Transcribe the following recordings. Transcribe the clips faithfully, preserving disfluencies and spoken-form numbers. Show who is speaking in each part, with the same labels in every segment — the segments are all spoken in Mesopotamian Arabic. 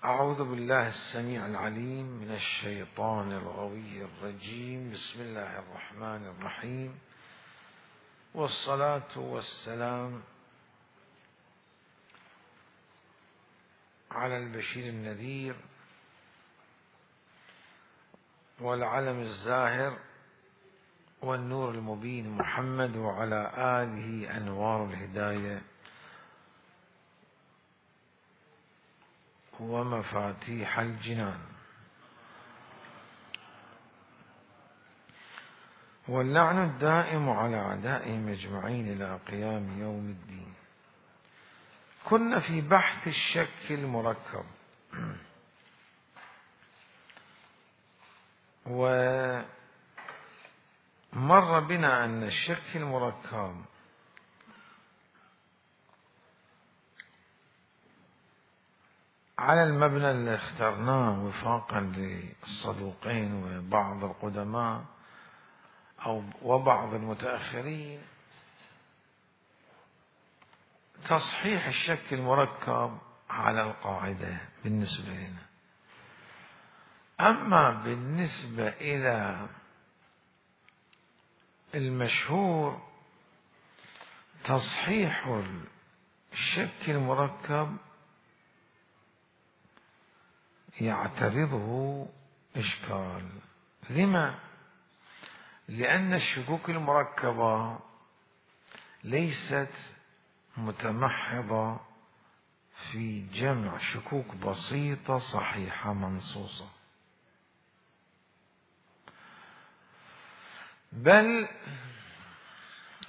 Speaker 1: أعوذ بالله السميع العليم من الشيطان الغوي الرجيم. بسم الله الرحمن الرحيم، والصلاة والسلام على البشير النذير والعلم الزاهر والنور المبين محمد، وعلى آله أنوار الهداية ومفاتيح الجنان. واللعن الدائم على أعدائهم أجمعين إلى قيام يوم الدين. كنا في بحث الشك المركب، ومر بنا أن الشك المركب على المبنى اللي اخترناه وفاقا للصدوقين وبعض القدماء أو وبعض المتأخرين، تصحيح الشك المركب على القاعدة بالنسبة لنا. أما بالنسبة إلى المشهور، تصحيح الشك المركب يعترضه إشكال. لما؟ لأن الشكوك المركبة ليست متمحضة في جمع شكوك بسيطة صحيحة منصوصة، بل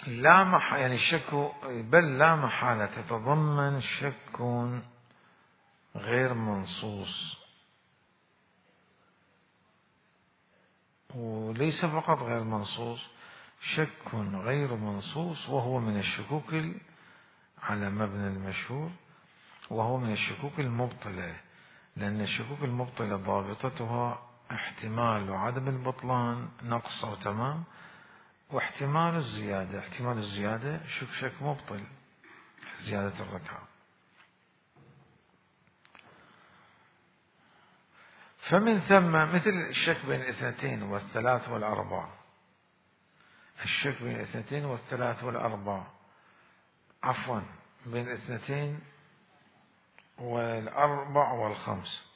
Speaker 1: لا محالة يعني الشك بل لا محالة تتضمن شك غير منصوص، وليس فقط غير منصوص، شك غير منصوص، وهو من الشكوك على مبنى المشهور، وهو من الشكوك المبطلة، لأن الشكوك المبطلة ضابطتها احتمال وعدم البطلان نقص أو تمام، واحتمال الزيادة. احتمال الزيادة شك شك مبطل، زيادة الركعة. فمن ثم مثل الشك بين الاثنتين والثلاث والأربع، الشك بين الاثنتين والثلاث والأربع عفوا بين الاثنتين والأربع والخمس.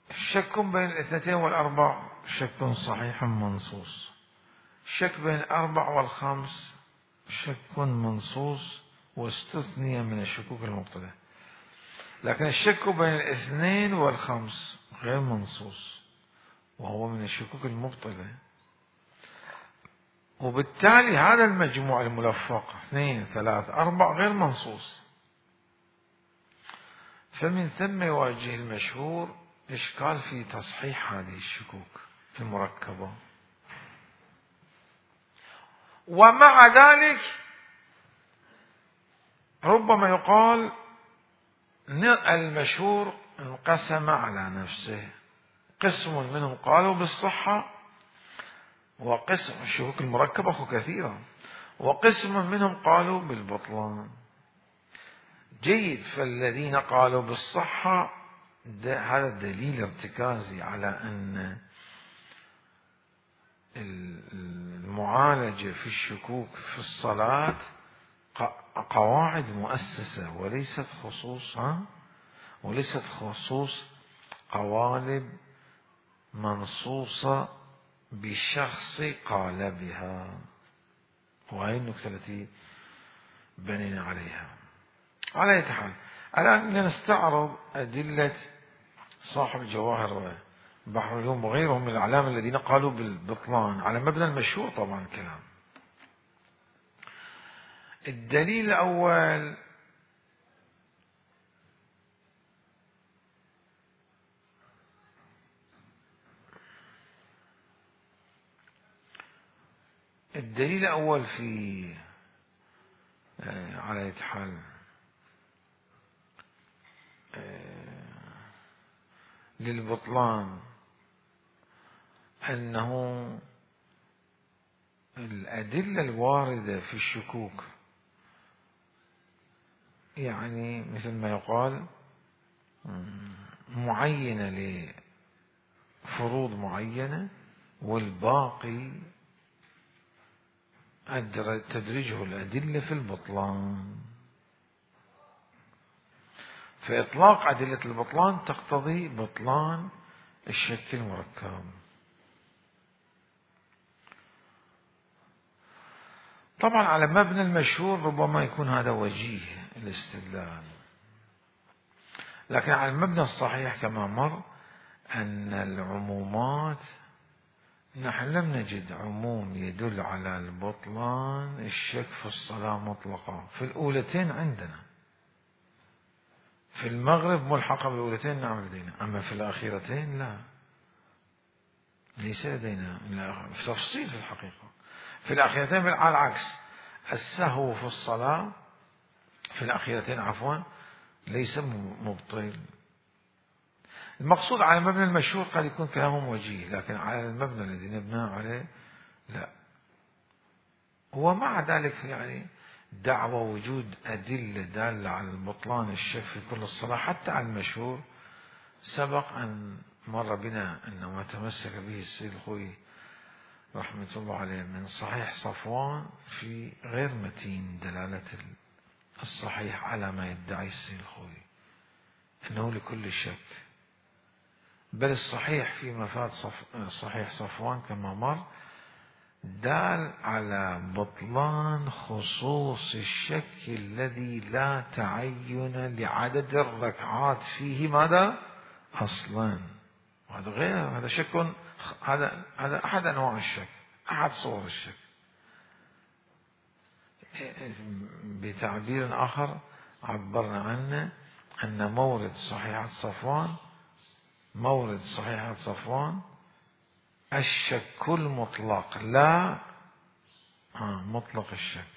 Speaker 1: الشك بين الاثنتين والأربع شك صحيح منصوص، الشك بين الأربع والخمس شك منصوص واستثني من الشكوك المبطلة. لكن الشك بين الاثنين والخمس غير منصوص، وهو من الشكوك المبطلة، وبالتالي هذا المجموع الملفق اثنين ثلاث أربع غير منصوص. فمن ثم يواجه المشهور إشكال في تصحيح هذه الشكوك المركبة. ومع ذلك ربما يقال المشهور انقسم على نفسه، قسم منهم قالوا بالصحة، وقسم الشكوك المركبة أخو كثيرة، وقسم منهم قالوا بالبطلان. جيد، فالذين قالوا بالصحة هذا دليل ارتكازي على أن المعالجة في الشكوك في الصلاة قواعد مؤسسة وليست خصوص وليست خصوص قوالب منصوصة بشخص قال بها. وهي النكتة التي بنينا عليها. على أي حال، الآن لنستعرض أدلة صاحب الجواهر بحر اليوم وغيرهم من الأعلام الذين قالوا بالبطلان على مبنى المشهور. طبعا كلام. الدليل الأول الدليل الأول في على أي حال للبطلان أنه الأدلة الواردة في الشكوك، يعني مثل ما يقال معينة لفروض معينة، والباقي تدرجه الأدلة في البطلان. فإطلاق أدلة البطلان تقتضي بطلان الشك المركب. طبعا على مبنى المشهور ربما يكون هذا وجيه الاستدلال، لكن على المبنى الصحيح كما مر أن العمومات، نحن لم نجد عموم يدل على البطلان الشك في الصلاة مطلقة. في الأولتين عندنا، في المغرب ملحقة بالأولتين نعم لدينا، أما في الأخيرتين لا، ليس لدينا في تفصيل في الحقيقة. في الأخيرتين على العكس، السهو في الصلاة في الأخيرتين عفوا ليس مبطل. المقصود على المبنى المشهور قد يكون كلامهم وجيه، لكن على المبنى الذي نبناه عليه لا. ومع ذلك يعني دعوى وجود أدلة دالة على البطلان الشك في كل الصلاة حتى على المشهور سبق أن مر بنا أن ما تمسك به السيد الخوئي رحمة الله عليه من صحيح صفوان في غير متين دلالة الصحيح على ما يدعي السيد الخوئي أنه لكل شك، بل الصحيح في مفاد صف صحيح صفوان كما مر دال على بطلان خصوص الشك الذي لا تعين لعدد الركعات فيه ماذا أصلا. هذا غير، هذا شك، هذا هذا أحد أنواع الشك، أحد صور الشك. بتعبير آخر عبرنا عنه أن مورد صحيحة صفوان مورد صحيحة صفوان الشك المطلق، لا آه مطلق الشك.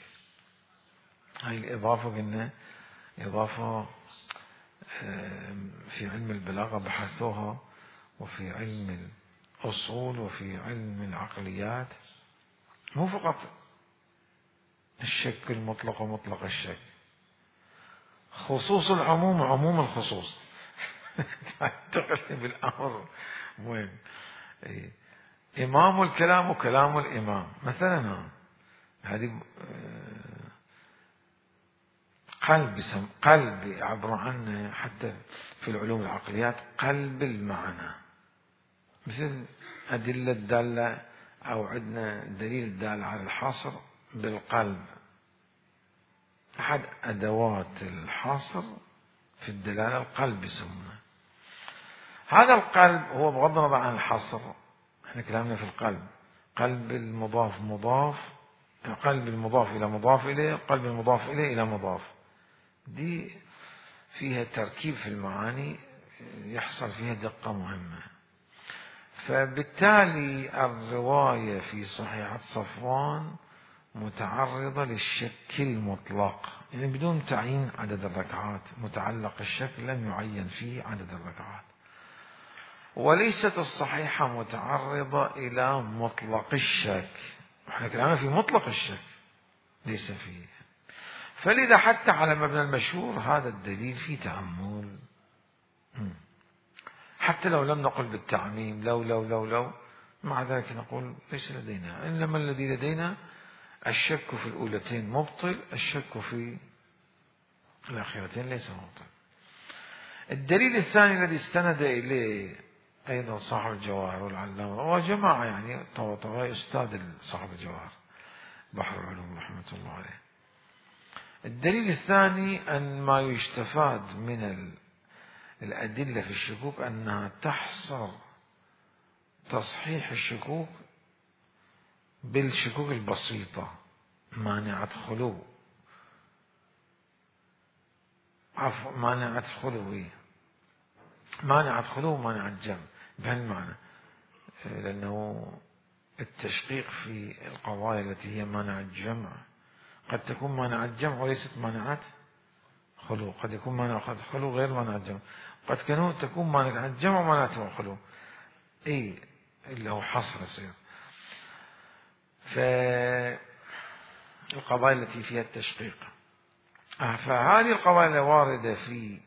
Speaker 1: هاي الإضافة قلنا إضافة في علم البلاغة بحثوها، وفي علم الأصول، وفي علم العقليات. مو فقط الشك المطلق ومطلق الشك، خصوص العموم وعموم الخصوص. تقلب الأمر وين إمام الكلام وكلام الإمام مثلا، هذه قلب سم قلب يعبر عنه حتى في العلوم العقليات قلب المعنى، مثل أدلة الدالة أو عندنا دليل الدال على الحصر بالقلب، أحد أدوات الحصر في الدلالة القلب يسمونه. هذا القلب هو بغض النظر عن الحصر، احنا كلامنا في القلب، قلب المضاف مضاف، قلب المضاف إلى مضاف إليه، قلب المضاف إليه إلى مضاف، دي فيها تركيب في المعاني يحصل فيها دقة مهمة. فبالتالي الرواية في صحيحة صفوان متعرضة للشك المطلق، يعني بدون تعيين عدد الركعات، متعلق الشك لم يعين فيه عدد الركعات. وليست الصحيحة متعرضة إلى مطلق الشك، احنا كلامنا في مطلق الشك ليس فيه. فلذا حتى على مبنى المشهور هذا الدليل فيه تأمل، حتى لو لم نقل بالتعميم لو لو لو لو مع ذلك نقول ليس لدينا، إنما الذي لدينا الشك في الأولتين مبطل، الشك في الأخيرتين ليس مبطل. الدليل الثاني الذي استند إليه أيضا صاحب الجواهر والعلامة وجماعة يعني طبعا أستاذ صاحب الجواهر بحر العلوم رحمة الله عليه، الدليل الثاني أن ما يستفاد من الأدلة في الشكوك أنها تحصر تصحيح الشكوك بالشكوك البسيطة مانعة خلو، عفوا مانعة خلوية، مانعة خلو ومانعة جمع بهالمعنى، لأنه التشقيق في القضايا التي هي مانعة جمع قد تكون مانعة جمع وليست مانعة خلو، قد يكون مانعة خلو غير مانعة جمع، قد تكون مانعة جمع ومانعة خلو، اي اللي هو حصر يصير. فالقضايا التي فيها التشقيق، فهذه القضايا الواردة في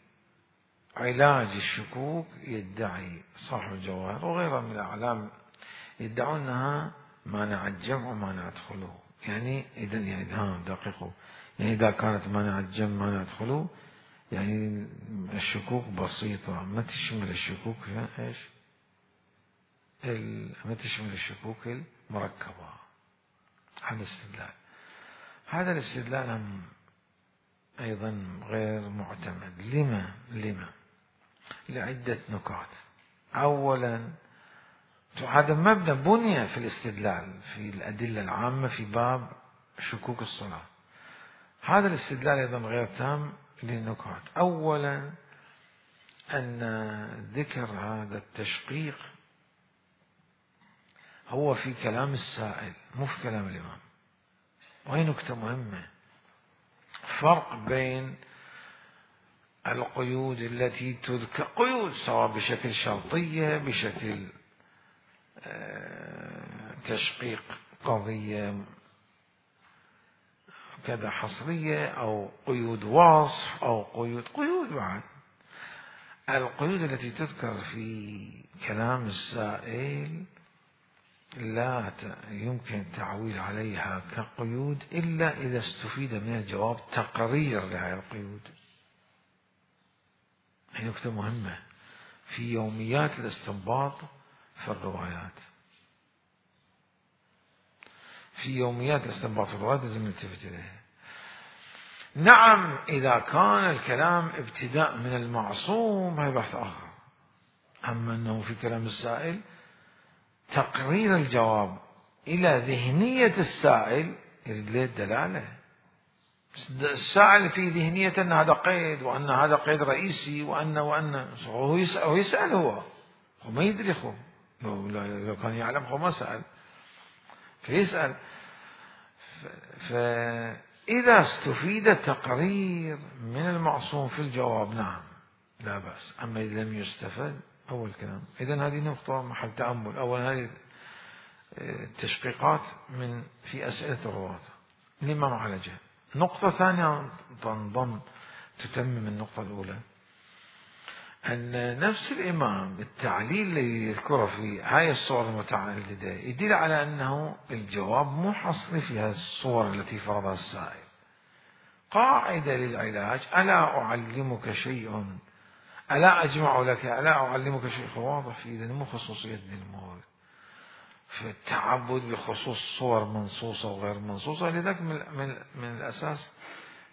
Speaker 1: علاج الشكوك يدعي صاحب الجواهر وغيرها من الأعلام يدعون أنها مانع الجمع ومانع الخلو. يعني إذا يعني ها دقيقوا، يعني إذا كانت مانع الجمع مانع الخلو يعني الشكوك بسيطة ما تشمل الشكوك ايش؟ ما تشمل الشكوك المركبة. هذا الاستدلال، هذا الاستدلال أيضا غير معتمد. لما؟ لما؟ لعدة نكات. أولا هذا مبنى بني في الاستدلال في الأدلة العامة في باب شكوك الصلاة. هذا الاستدلال أيضا غير تام للنكات. أولا أن ذكر هذا التشقيق هو في كلام السائل مو في كلام الإمام. وهي نكتة مهمة، فرق بين القيود التي تذكر قيود سواء بشكل شرطية بشكل تشقيق قضية كذا حصرية أو قيود وصف أو قيود قيود بعد. القيود التي تذكر في كلام السائل لا يمكن التعويل عليها كقيود إلا إذا استفيد من الجواب تقرير لهذه القيود. هي نكتة مهمة في يوميات الاستنباط في الروايات. في يوميات الاستنباط في الروايات لازم نلتفت إليها. نعم إذا كان الكلام ابتداء من المعصوم هي بحث آخر. أما أنه في كلام السائل تقرير الجواب إلى ذهنية السائل يريد له الدلالة. السائل في ذهنية أن هذا قيد وأن هذا قيد رئيسي وأن وأن هو يسأل هو, يسأل هو. هو ما يدري خو لو كان يعلم هو ما سأل فيسأل. فإذا استفيد تقرير من المعصوم في الجواب نعم لا بأس. أما إذا لم يستفد أول كلام إذن هذه نقطة محل تأمل. أول هذه التشقيقات من في أسئلة الرواة لما معالجة. نقطة ثانية تنضم تتمم النقطة الأولى أن نفس الإمام بالتعليل اللي يذكره في هاي الصور المتعددة يدل على أنه الجواب مو حصري في هذه الصور التي فرضها السائل. قاعدة للعلاج ألا أعلمك شيء ألا أجمع لك ألا أعلمك شيء واضح في إذن مو خصوصية للمورد في التعبد بخصوص صور منصوصة وغير منصوصة. لذلك من, من, من الأساس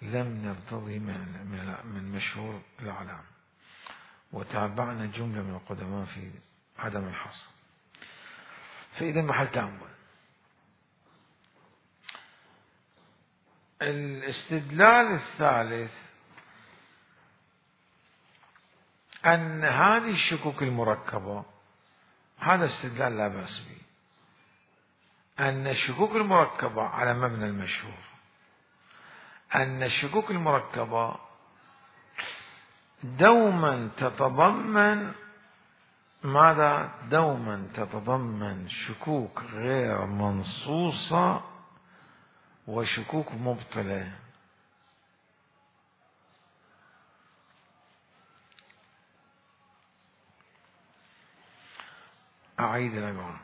Speaker 1: لم نرتضي من, من, من مشهور الأعلام وتابعنا جملة من القدماء في عدم الحصر. فإذا محل تأمل. الاستدلال الثالث أن هذه الشكوك المركبة هذا استدلال لا بأس به. أن الشكوك المركبة على مبنى المشهور أن الشكوك المركبة دوما تتضمن ماذا؟ دوما تتضمن شكوك غير منصوصة وشكوك مبطلة. أعيد العبارة.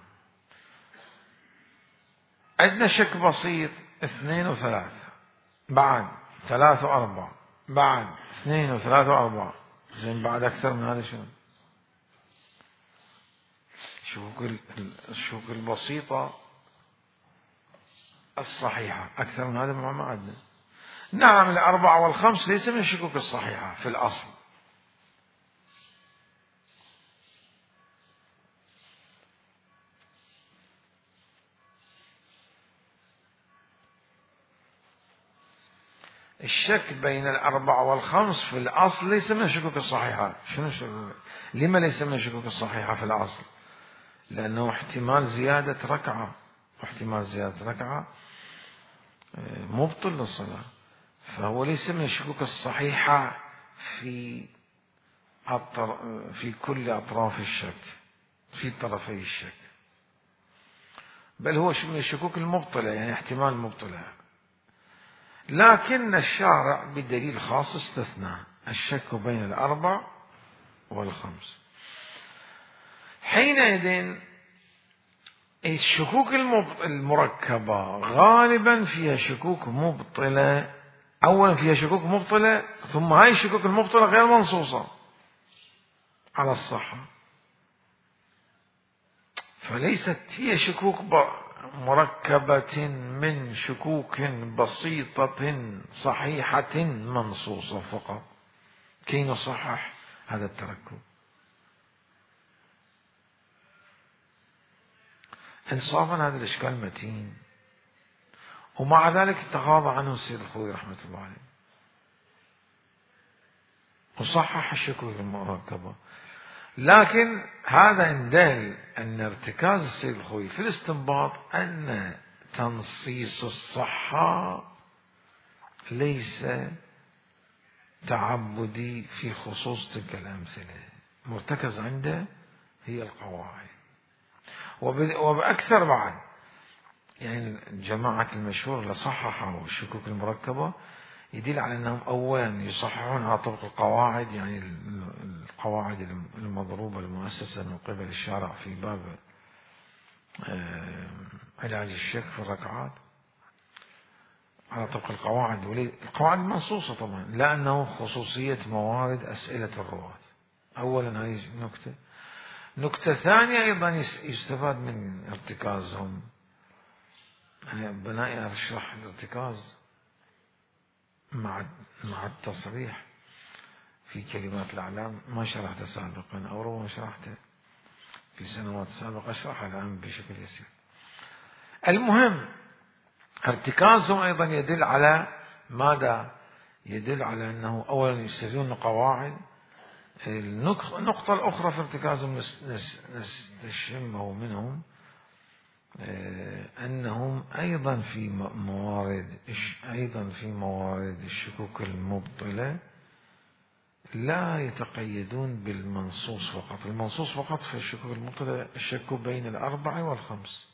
Speaker 1: عندنا شك بسيط اثنين وثلاثة بعد ثلاثة وأربعة بعد اثنين وثلاثة وأربعة زين بعد أكثر من هذا شنو؟ الشكوك الشكوك البسيطة الصحيحة أكثر من هذا ما عندنا. نعم الأربعة والخمس ليس من الشكوك الصحيحة في الأصل. الشك بين الأربعة والخمس في الأصل ليس من الشكوك الصحيحة. شنو الشكوك؟ لما ليس من الشكوك الصحيحة في الأصل؟ لأنه احتمال زيادة ركعة واحتمال زيادة ركعة مبطل للصلاة. فهو ليس من الشكوك الصحيحة في في كل أطراف الشك في طرفي الشك، بل هو من الشكوك المبطلة يعني احتمال مبطلة. لكن الشارع بدليل خاص استثنى الشك بين الأربع والخمس. حينئذ الشكوك المركبة غالبا فيها شكوك مبطلة، أولا فيها شكوك مبطلة، ثم هاي الشكوك المبطلة غير منصوصة على الصحة، فليست هي شكوك مركبة من شكوك بسيطة صحيحة منصوصة فقط كي نصحح هذا التركب. إنصافا هذا الإشكال متين، ومع ذلك تغاضى عنه السيد الخوئي رحمة الله عليه وصحح الشكوك المركبة. لكن هذا يدل أن ارتكاز السيد الخوئي في الاستنباط أن تنصيص الصحة ليس تعبدي في خصوص تلك الأمثلة، مرتكز عنده هي القواعد. وبأكثر بعد، يعني جماعة المشهور اللي صححوا الشكوك المركبة يدل على أنهم أولا يصححون على طبق القواعد، يعني القواعد المضروبة المؤسسة من قبل الشارع في باب علاج الشك في الركعات على طبق القواعد، القواعد منصوصة طبعا، لا أنه خصوصية موارد أسئلة الرواة. أولا هذه نكتة. نكتة ثانية أيضا يستفاد من ارتكازهم، يعني بناء أشرح الارتكاز مع مع التصريح في كلمات الأعلام، ما شرحته سابقا أو ربما شرحته في سنوات سابقة، أشرحه الآن بشكل يسير. المهم ارتكازهم أيضا يدل على ماذا؟ يدل على أنه أولا يستخدمون قواعد. النقطة الأخرى في ارتكازهم نستشمه منهم أنهم أيضا في موارد أيضا في موارد الشكوك المبطلة لا يتقيدون بالمنصوص فقط. المنصوص فقط في الشكوك المبطلة الشك بين الأربعة والخمس،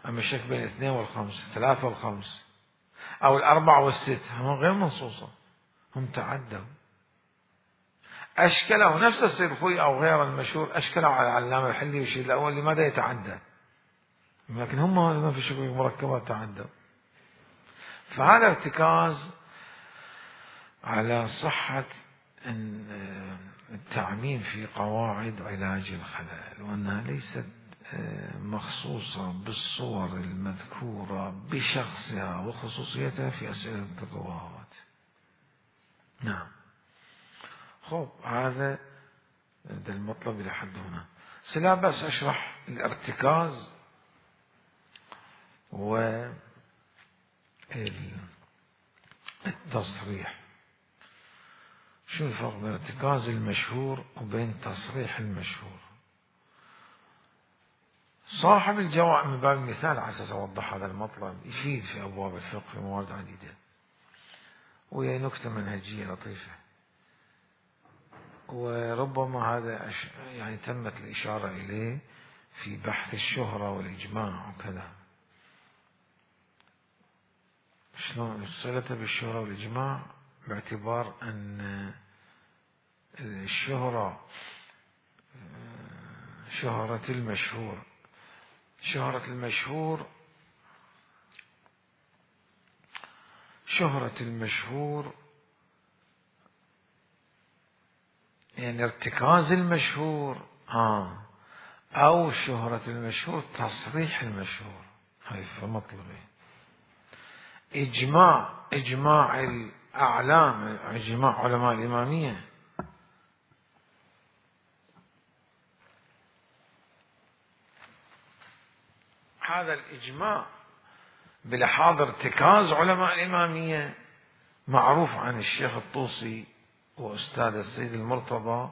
Speaker 1: أما الشك بين الاثنين والخمس، ثلاثة والخمس، أو الأربعة والست هم غير منصوصة، هم تعدوا. أشكله نفس السيد الخوئي أو غير المشهور، أشكله على العلامة الحلي والشيء الأول لماذا يتعدى، لكن هم في الشكوك المركبة تعدوا. فهذا ارتكاز على صحة التعميم في قواعد علاج الخلل، وأنها ليست مخصوصة بالصور المذكورة بشخصها وخصوصيتها في أسئلة الرواة. نعم. خب هذا ده المطلب إلى حد هنا. سلا بس أشرح الارتكاز والتصريح. شو الفرق بين ارتكاز المشهور وبين تصريح المشهور؟ صاحب الجواب من باب المثال على أساس أوضح هذا المطلب يفيد في أبواب الفقه في موارد عديدة، وهي نكتة منهجية لطيفة، وربما هذا يعني تمت الإشارة إليه في بحث الشهرة والإجماع وكذا. شلون صلته بالشهرة والإجماع؟ باعتبار أن الشهرة شهرة المشهور شهرة المشهور شهرة المشهور يعني ارتكاز المشهور آه أو شهرة المشهور تصريح المشهور. هاي مطلبين. إجماع إجماع الأعلام، إجماع علماء الإمامية، هذا الإجماع بلحاظ ارتكاز علماء الإمامية معروف عن الشيخ الطوسي وأستاذ السيد المرتضى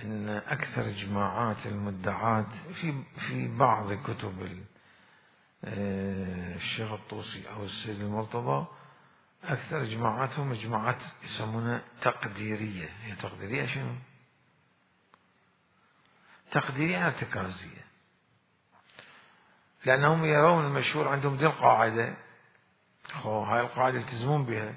Speaker 1: إن أكثر إجماعات المدعاة في في بعض كتب الشيخ الطوسي أو السيد المرتضى أكثر إجماعاتهم إجماعات يسمونها تقديرية. هي تقديرية شنو؟ تقديرية ارتكازية، لأنهم يرون المشهور عندهم دي القاعدة، هاي القاعدة يلتزمون بها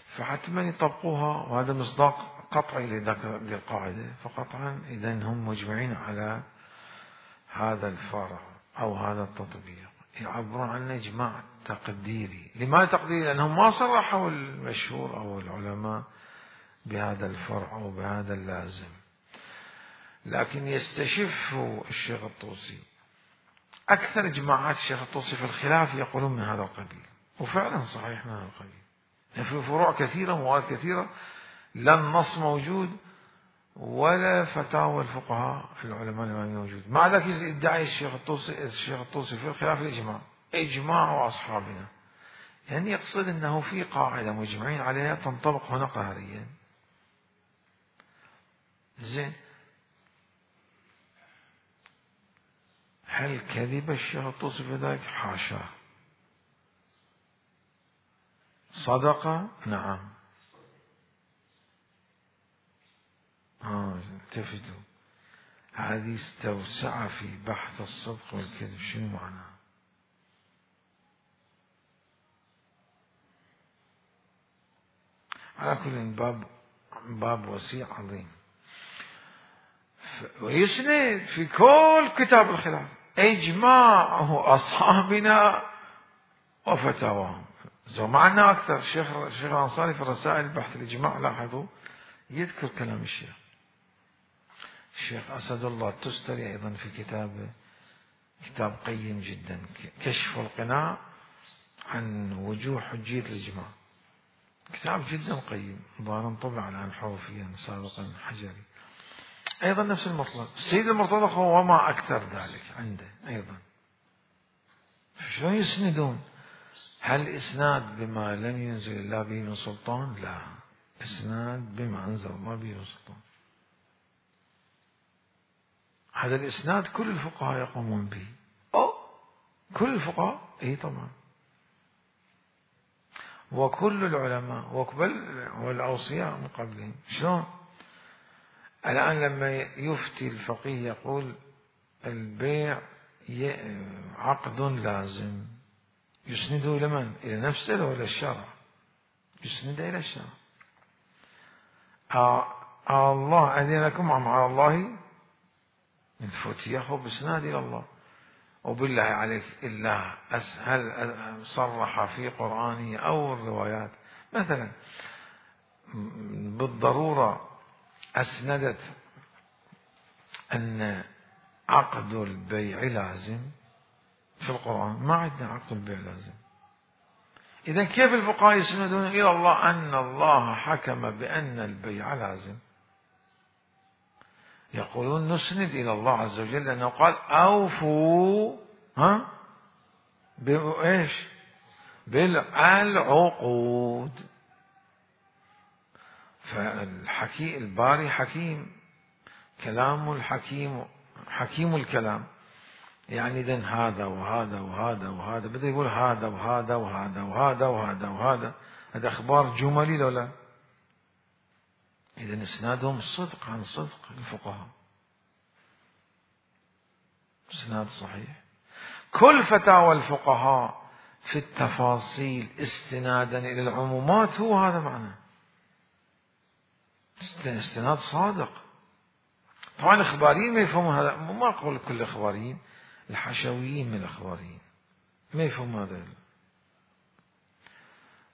Speaker 1: فحتما يطبقوها، وهذا مصداق قطعي لذاك للقاعدة، فقطعا إذا هم مجمعين على هذا الفرع أو هذا التطبيق، يعبرون عن إجماع تقديري. لماذا تقديري؟ لأنهم ما صرحوا المشهور أو العلماء بهذا الفرع أو بهذا اللازم، لكن يستشف الشيخ الطوسي أكثر إجماعات الشيخ الطوسي في الخلاف يقولون من هذا القبيل، وفعلا صحيح من هذا القبيل. يعني في فروع كثيرة مواد كثيرة لا النص موجود ولا فتاوى الفقهاء العلماء الإماميين موجود، مع ذلك يدعي الشيخ الطوسي الشيخ الطوسي في الخلاف الإجماع، إجماع أصحابنا، يعني يقصد أنه في قاعدة مجمعين عليها تنطبق هنا قهريا. زين، هل كذب الشيخ الطوسي في ذلك؟ حاشا. صدق؟ نعم. آه التفتوا، هذه استوسع في بحث الصدق والكذب، شنو معناه؟ على كل باب باب وسيع عظيم، ويسند في كل كتاب الخلاف إجماع أصحابنا وفتاواهم. معنا أكثر الشيخ الشيخ الأنصاري في الرسائل بحث الإجماع، لاحظوا يذكر كلام الشيخ الشيخ أسد الله التستري أيضا في كتابه، كتاب قيم جدا، كشف القناع عن وجوه حجية الإجماع، كتاب جدا قيم، ظاهرا طبع الآن حروفيا سابقا حجري. أيضا نفس المطلب السيد المرتضى هو وما أكثر ذلك عنده أيضا. شلون يسندون؟ هل إسناد بما لم ينزل الله به من سلطان؟ لا، إسناد بما أنزل الله به من سلطان. هذا الإسناد كل الفقهاء يقومون به. أو كل الفقهاء؟ إيه طبعا، وكل العلماء وقبل والأوصياء من قبلهم. شلون؟ الآن لما يفتي الفقيه يقول البيع عقد لازم، يسنده إلى من؟ إلى نفسه ولا الشرع؟ يسنده إلى الشرع. آه الله أذن لكم مع الله من فتيه بإسناد إلى الله. وبالله عليك إلا هل صرح في قرآنه أو الروايات مثلا بالضرورة أسندت أن عقد البيع لازم في القرآن؟ ما عندنا عقد البيع لازم. إذا كيف الفقهاء يسندون إلى الله أن الله حكم بأن البيع لازم؟ يقولون نسند إلى الله عز وجل لأنه قال أوفوا ها بإيش؟ بالعقود. فالحكي الباري حكيم، كلام الحكيم حكيم الكلام، يعني إذن هذا وهذا وهذا وهذا بدأ يقول هذا وهذا وهذا وهذا وهذا وهذا، هذا أخبار جملي لو لا؟ إذن إسنادهم صدق عن صدق الفقهاء، إسناد صحيح. كل فتاوى الفقهاء في التفاصيل استنادا إلى العمومات هو هذا معناه، استناد صادق. طبعا الإخباريين ما يفهمون هذا، ما أقول كل الإخباريين، الحشويين من الإخباريين ما يفهمون هذا،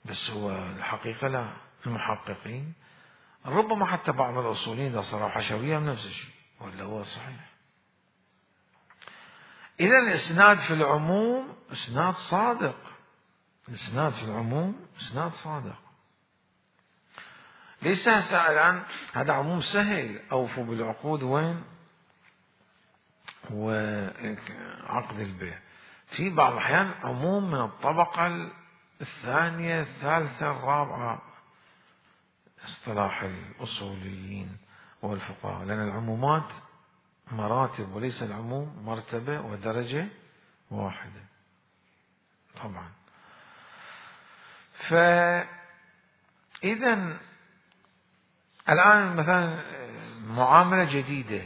Speaker 1: بس هو الحقيقة لا، المحققين ربما حتى بعض الأصوليين إذا صاروا حشوية من نفس الشيء ولا هو صحيح. إذا الإسناد في العموم إسناد صادق، الإسناد في العموم إسناد صادق. ليس الآن هذا عموم سهل، أوفوا بالعقود وين؟ وعقد البيع. في بعض الأحيان عموم من الطبقة الثانية الثالثة الرابعة، اصطلاح الأصوليين والفقهاء، لأن العمومات مراتب وليس العموم مرتبة ودرجة واحدة طبعا. فإذا الآن مثلا معاملة جديدة،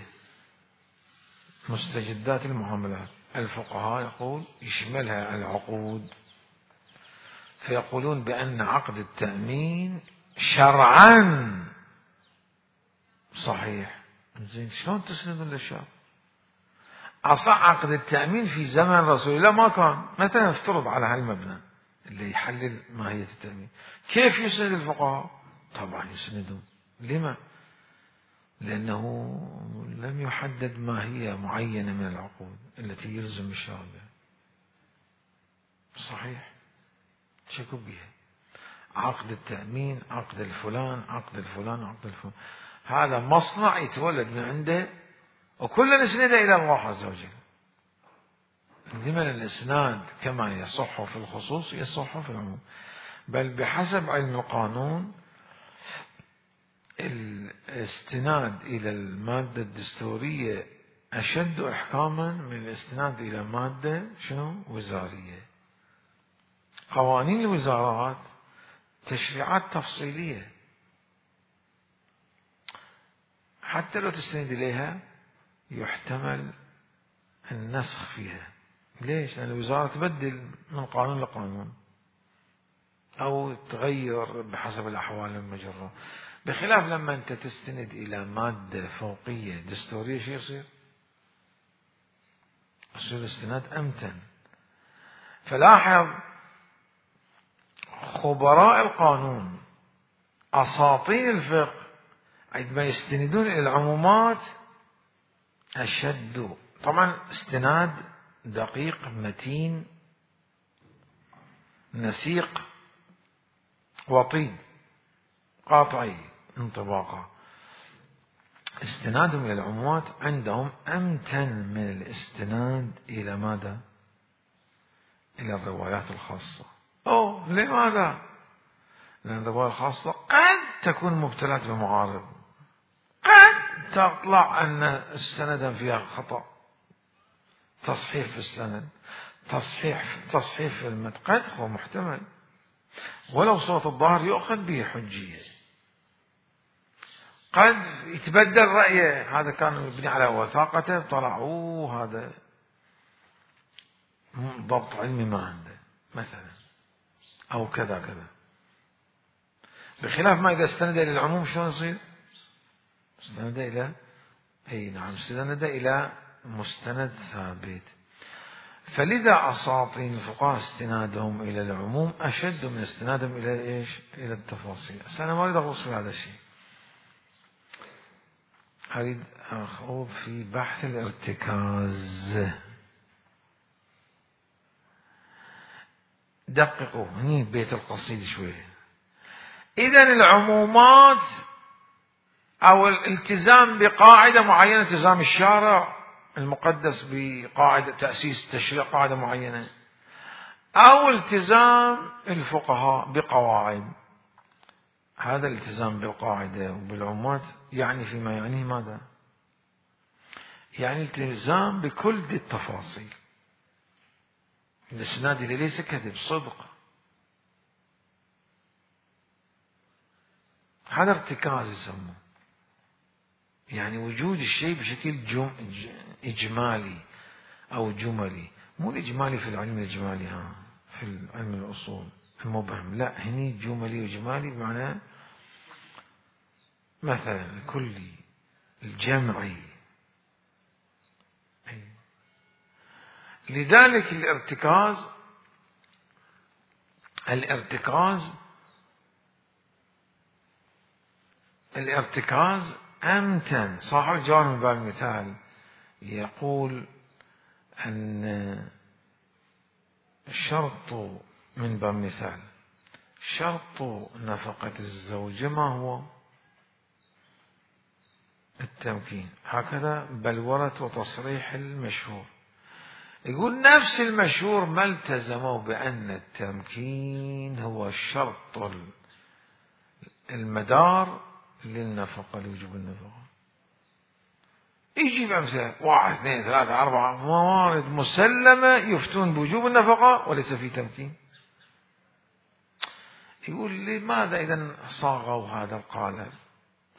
Speaker 1: مستجدات المعاملات، الفقهاء يقول يشملها العقود، فيقولون بأن عقد التأمين شرعا صحيح. زين شلون تسندون للشرط؟ أصلا عقد التأمين في زمن رسول الله ما كان. مثلا افترض على هالمبنى اللي يحلل ماهية التأمين، كيف يسند الفقهاء؟ طبعا يسندون. لما؟ لأنه لم يحدد ماهية معينة من العقود التي يلزم الشارع. صحيح، شكوا بها. عقد التأمين، عقد الفلان، عقد الفلان، عقد الفلان، هذا مصنع يتولد من عنده وكلنا نسنده إلى الله عز وجل. لمن الإسناد كما يصح في الخصوص يصح في العموم، بل بحسب علم القانون الاستناد إلى المادة الدستورية أشد إحكاما من الاستناد إلى مادة شنو؟ وزارية. قوانين الوزارات تشريعات تفصيلية، حتى لو تستند إليها يحتمل النسخ فيها. ليش؟ لأن الوزارة تبدل من قانون لقانون أو تغير بحسب الأحوال المجرة، بخلاف لما أنت تستند إلى مادة فوقية دستورية شو يصير؟ يصير استناد أمتن. فلاحظ خبراء القانون أساطين الفقه عندما يستندون إلى العمومات أشد، طبعا استناد دقيق متين نسيق وطيد قاطعي انطباقا. استنادهم إلى العمومات عندهم أمتن من الاستناد إلى ماذا؟ إلى الروايات الخاصة. أوه لماذا؟ لأن الرواية الخاصة قد تكون مبتلات بمعارض، قد تطلع أن السند فيها خطأ، تصحيح في السند، تصحيح تصحيح في المتن، قد هو محتمل، ولو صوت الظاهر يؤخذ به حجية. قد يتبدل رأيه، هذا كان يبني على وثاقته طلع أوه هذا ضبط علمي ما عنده مثلا، أو كذا كذا. بخلاف ما إذا استند إلى العموم شلون يصير؟ استند إلى أي نعم استند إلى مستند ثابت. فلذا أساطين الفقهاء استنادهم إلى العموم أشد من استنادهم إلى إيش؟ إلى التفاصيل. بس أنا ما أريد أغوص في هذا الشيء، أريد أخوض في بحث الارتكاز. دققوا هني بيت القصيد شوية. إذا العمومات أو الالتزام بقاعدة معينة، التزام الشارع المقدس بقاعدة تأسيس تشريع قاعدة معينة، أو التزام الفقهاء بقواعد، هذا الالتزام بالقاعدة وبالعمومات يعني فيما يعنيه ماذا؟ يعني التزام بكل دي التفاصيل. الإسناد اللي ليس كذب، صدق، هذا ارتكاز يسموه، يعني وجود الشيء بشكل جم... إجمالي أو جملي، مو الإجمالي في العلم الإجمالي ها في علم الأصول المبهم، لا هني جملي وإجمالي بمعنى مثلا الكلي الجمعي. لذلك الارتكاز الارتكاز الارتكاز أمتن. صاحب الجواب من باب المثال يقول أن شرط من باب المثال شرط نفقة الزوجة ما هو؟ التمكين. هكذا بلورة وتصريح المشهور. يقول نفس المشهور ما التزموا بأن التمكين هو الشرط المدار للنفقة لوجوب النفقة. يجيب أمثلة واحد اثنين ثلاثة أربعة موارد مسلمة يفتون بوجوب النفقة وليس في تمكين. يقول لماذا إذن صاغوا هذا القالب؟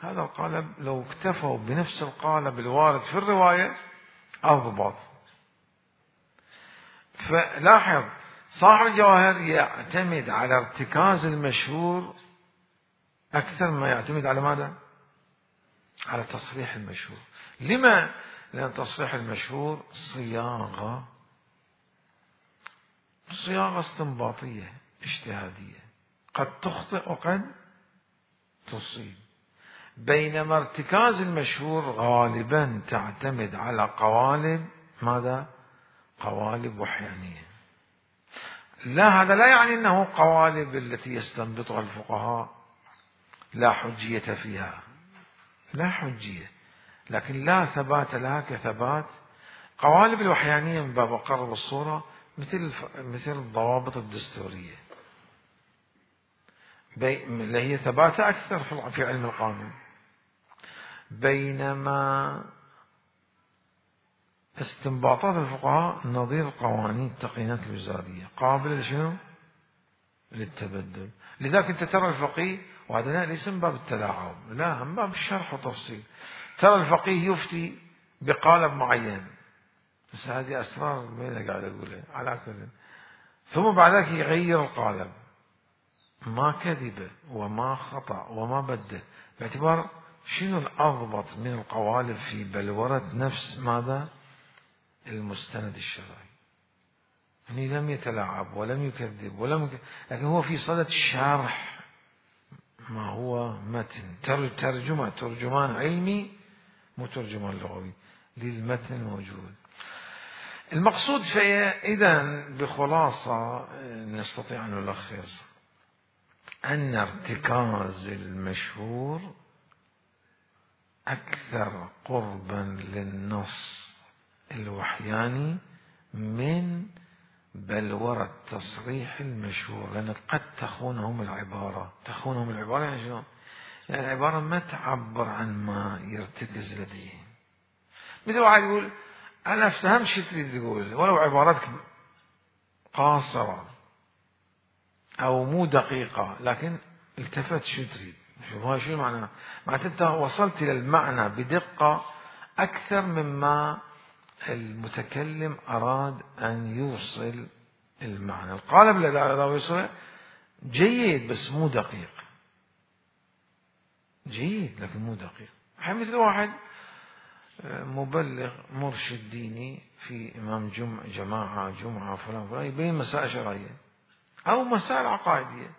Speaker 1: هذا القالب لو اكتفوا بنفس القالب الوارد في الرواية أضبط. فلاحظ صاحب الجواهر يعتمد على ارتكاز المشهور أكثر ما يعتمد على ماذا؟ على تصريح المشهور. لما؟ لأن تصريح المشهور صياغة صياغة استنباطية اجتهادية، قد تخطئ وقد تصيب، بينما ارتكاز المشهور غالبا تعتمد على قوالب ماذا؟ قوالب وحيانية. لا، هذا لا يعني أنه قوالب التي يستنبطها الفقهاء لا حجية فيها، لا حجية، لكن لا ثبات لها كثبات قوالب الوحيانية من باب قرب الصورة، مثل مثل الضوابط الدستورية اللي هي ثباتها أكثر في علم القانون. بينما استنباطات الفقهاء نظير قوانين التقنينات الوزارية قابلة لشنو؟ للتبدل. لذلك أنت ترى الفقيه، وهذا ليس من باب التلاعب، لا، من باب الشرح والتفصيل، ترى الفقيه يفتي بقالب معين، بس هذه أسرار مين قاعد أقولها على كل، ثم بعد ذلك يغير القالب، ما كذب وما خطأ وما بدل، باعتبار شنو الأضبط من القوالب في بلورة نفس ماذا؟ المستند الشرعي. يعني لم يتلاعب ولم يكذب ولم يكذب، لكن هو في صدد الشرح ما هو متن، ترجمة ترجمان علمي مو ترجمان لغوي للمتن الموجود. المقصود إذا بخلاصة نستطيع أن نلخص أن ارتكاز المشهور أكثر قربا للنص الوحياني من بلورة تصريح المشهور، لأن قد تخونهم العبارة. تخونهم العبارة يعني شنو؟ يعني العبارة ما تعبر عن ما يرتكز لديهم. مثل واحد يقول أنا أفهم شو تريد تقول، ولو عبارتك قاصرة أو مو دقيقة، لكن التفت شو تريد. شوف هاي شو معناه؟ معناته أنت وصلت إلى المعنى بدقة أكثر مما المتكلم أراد أن يوصل المعنى. القالب الذي أراد أن يوصله جيد بس مو دقيق، جيد لكن مو دقيق. مثل واحد مبلغ مرشد ديني في إمام جمعة جماعة جمعة فلان فلان يبين مسائل شرعية أو مسائل عقائدية،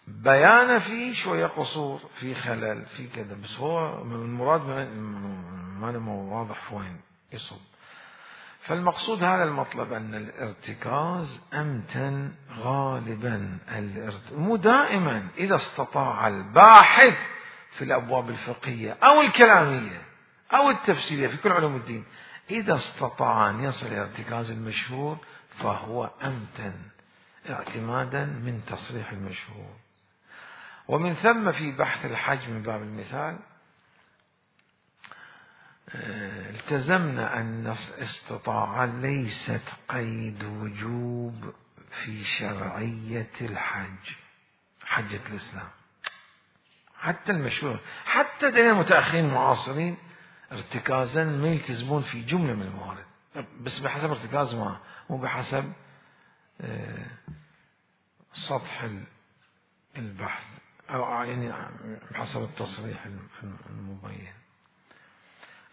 Speaker 1: بيان فيه شوية قصور، في خلل، في كذا، بس هو المراد ما مو واضح وين يصب. فالمقصود هذا المطلب، أن الارتكاز أمتن غالبا، مو دائما، إذا استطاع الباحث في الأبواب الفقهية أو الكلامية أو التفسيرية في كل علوم الدين، إذا استطاع أن يصل إلى ارتكاز المشهور فهو أمتن اعتمادا من تصريح المشهور. ومن ثم في بحث الحج من باب المثال التزمنا أن الاستطاعة ليست قيد وجوب في شرعية الحج، حجة الإسلام. حتى المشهور، حتى دين المتأخرين المعاصرين ارتكازا ما يلتزمون في جملة من الموارد، بس بحسب ارتكاز ما، مو بحسب سطح البحث أو يعني بحسب التصريح المبين.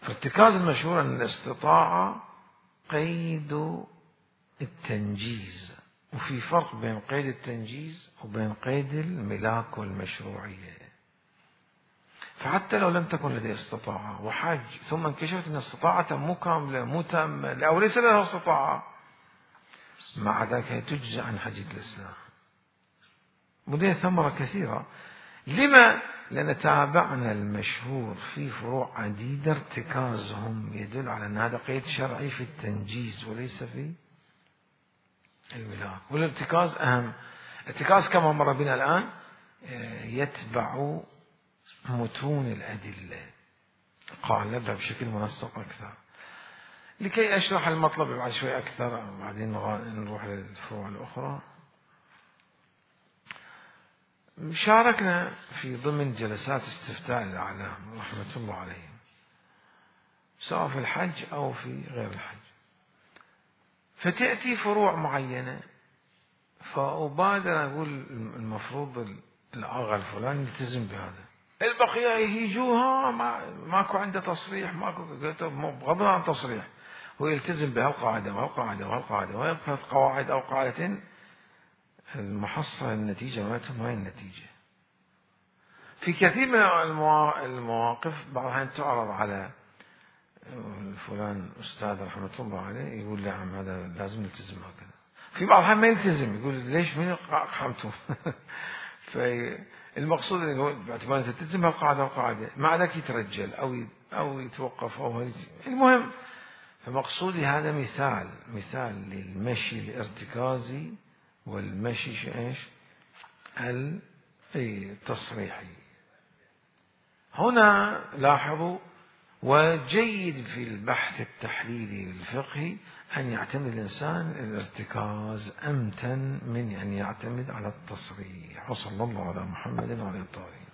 Speaker 1: ارتكاز المشهور أن الاستطاعة قيد التنجيز، وفي فرق بين قيد التنجيز وبين قيد الملاك والمشروعية. فحتى لو لم تكن لديه استطاعة وحج ثم انكشفت أن استطاعته مو كاملة مو تامة أو ليس له استطاعة، مع ذلك تجزى عن حجة الإسلام. ولديه ثمرة كثيرة. لما؟ لأن تابعنا المشهور في فروع عديدة ارتكازهم يدل على أن هذا قيد شرعي في التنجيز وليس في الملاك. والارتكاز أهم. الارتكاز كما مر بنا الآن يتبع متون الأدلة، قالبها بشكل منسق أكثر. لكي أشرح المطلب بعد شوي أكثر بعدين نروح للفروع الأخرى. شاركنا في ضمن جلسات استفتاء الأعلام رحمة الله عليهم، سواء في الحج أو في غير الحج، فتأتي فروع معينة فأبادر أقول المفروض الأغا الفلاني يلتزم بهذا، البقية يهيجوها ما ماكو عنده تصريح ماكو، قلت بغض عن تصريح هو يلتزم بهالقاعدة وهالقاعدة وهالقاعدة ويبقى قواعد أو قاعدتين، المحصلة النتيجة مالتهم هاي النتيجة. في كثير من المواقف بعض الأحيان تعرض على فلان أستاذ رحمة الله عليه يقول نعم هذا لازم نلتزم هكذا، في بعض الأحيان ما يلتزم يقول ليش من أقحمتم فالمقصود أنه باعتبار أنت تلتزم هالقاعدة والقاعدة مع ذلك يترجل أو أو يتوقف أو المهم. فمقصودي هذا مثال مثال للمشي الارتكازي والمشي ايش التصريحي. هنا لاحظوا وجيد في البحث التحليلي الفقهي أن يعتمد الإنسان الارتكاز أمتن من أن يعتمد على التصريح. وصلى الله على محمد وعلى الطاهرين.